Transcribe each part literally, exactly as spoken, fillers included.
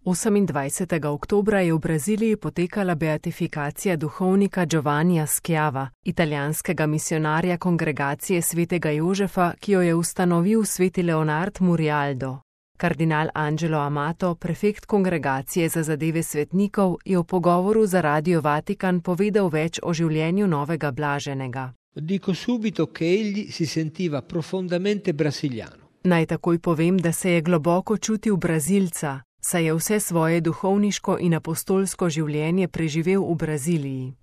osemindvajsetega oktobra je v Braziliji potekala beatifikacija duhovnika Giovannija Schiava, italijanskega misionarja kongregacije svetega Jožefa, ki jo je ustanovil sveti Leonard Murialdo. Kardinal Angelo Amato, prefekt kongregacije za zadeve svetnikov, je v pogovoru za Radio Vatikan povedal več o življenju novega blaženega. Dico subito che egli si sentiva profondamente brasiliano. Naj takoj povem, da se je globoko čutil Brazilca, saj je vse svoje duhovniško in apostolsko življenje preživel v Braziliji.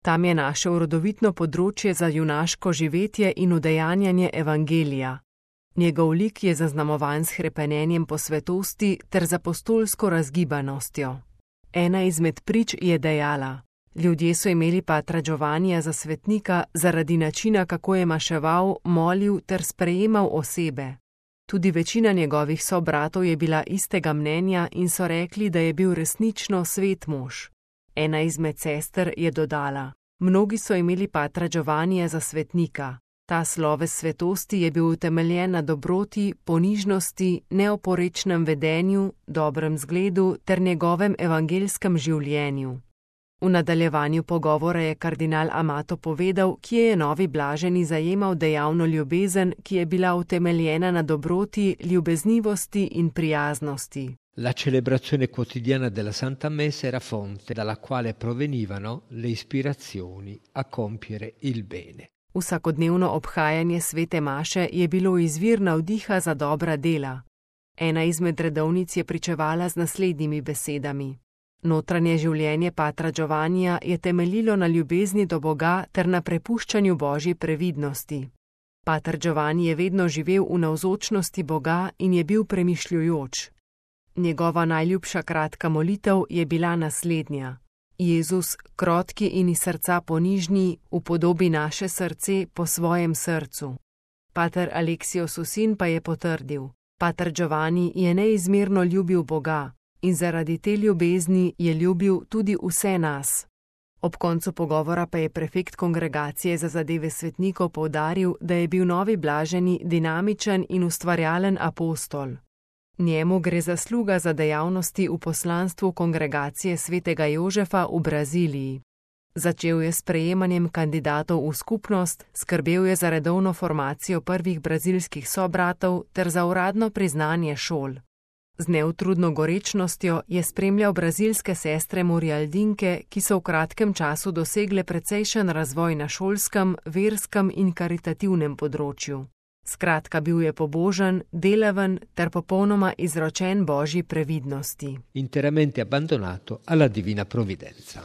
Tam je našel rodovitno področje za junaško živetje in udejanjanje evangelija. Njegov lik je zaznamovan s hrepenenjem po svetosti ter z apostolsko razgibanostjo. Ena izmed prič je dejala: ljudje so imeli patra Giovannija za svetnika zaradi načina, kako je maševal, molil ter sprejemal osebe. Tudi večina njegovih sobratov je bila istega mnenja in so rekli, da je bil resnično svet mož. Ena izmed sester je dodala: mnogi so imeli patra Giovannija za svetnika. Ta sloves svetosti je bil utemeljen na dobroti, ponižnosti, neoporečnem vedenju, dobrem zgledu ter njegovem evangelskem življenju. V nadaljevanju pogovora je kardinal Amato povedal, kje je novi blaženi zajemal dejavno ljubezen, ki je bila utemeljena na dobroti, ljubeznivosti in prijaznosti. La celebrazione quotidiana della Santa Messa era fonte dalla quale provenivano le ispirazioni a compiere il bene. Vsakodnevno obhajanje svete maše je bilo izvir navdiha za dobra dela. Ena izmed redovnic je pričevala z naslednjimi besedami: notranje življenje patra Giovannija je temeljilo na ljubezni do Boga ter na prepuščanju Božji previdnosti. Pater Giovanni je vedno živel v navzočnosti Boga in je bil premišljujoč. Njegova najljubša kratka molitev je bila naslednja: Jezus, krotki in iz srca ponižni, upodobi naše srce po svojem srcu. Pater Aleksio Susin pa je potrdil: pater Giovanni je neizmerno ljubil Boga in zaradi te ljubezni je ljubil tudi vse nas. Ob koncu pogovora pa je prefekt kongregacije za zadeve svetnikov poudaril, da je bil novi blaženi dinamičen in ustvarjalen apostol. Njemu gre zasluga za dejavnosti v poslanstvu kongregacije svetega Jožefa v Braziliji. Začel je s sprejemanjem kandidatov v skupnost, skrbel je za redovno formacijo prvih brazilskih sobratov ter za uradno priznanje šol. Z neutrudno gorečnostjo je spremljal brazilske sestre Murialdinke, ki so v kratkem času dosegle precejšen razvoj na šolskem, verskem in karitativnem področju. Skratka, bil je pobožen, delaven ter popolnoma izročen Božji previdnosti. Interamente abbandonato alla divina provvidenza.